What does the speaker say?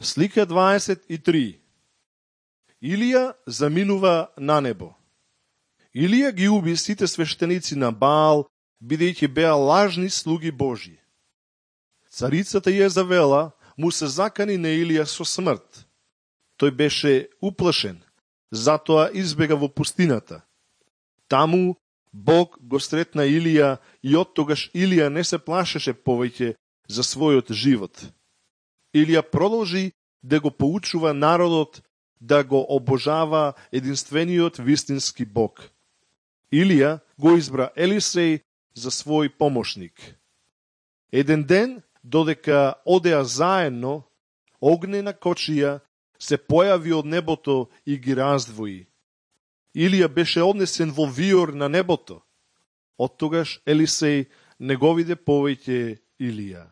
Слика 23. Илија заминува на небо. Илија ги уби сите свештеници на Баал, бидејќи беа лажни слуги Божји. Царицата Језавела му се закани на Илија со смрт. Тој беше уплашен, затоа избега во пустината. Таму Бог го сретна Илија и оттогаш Илија не се плашеше повеќе за својот живот. Илија продолжи да го поучува народот да го обожава единствениот вистински Бог. Илија го избра Елисеј за свој помошник. Еден ден, додека одеа заедно, огнена кочија се појави од небото и ги раздвои. Илија беше однесен во виор на небото. Оттогаш Елисеј не го виде повеќе Илија.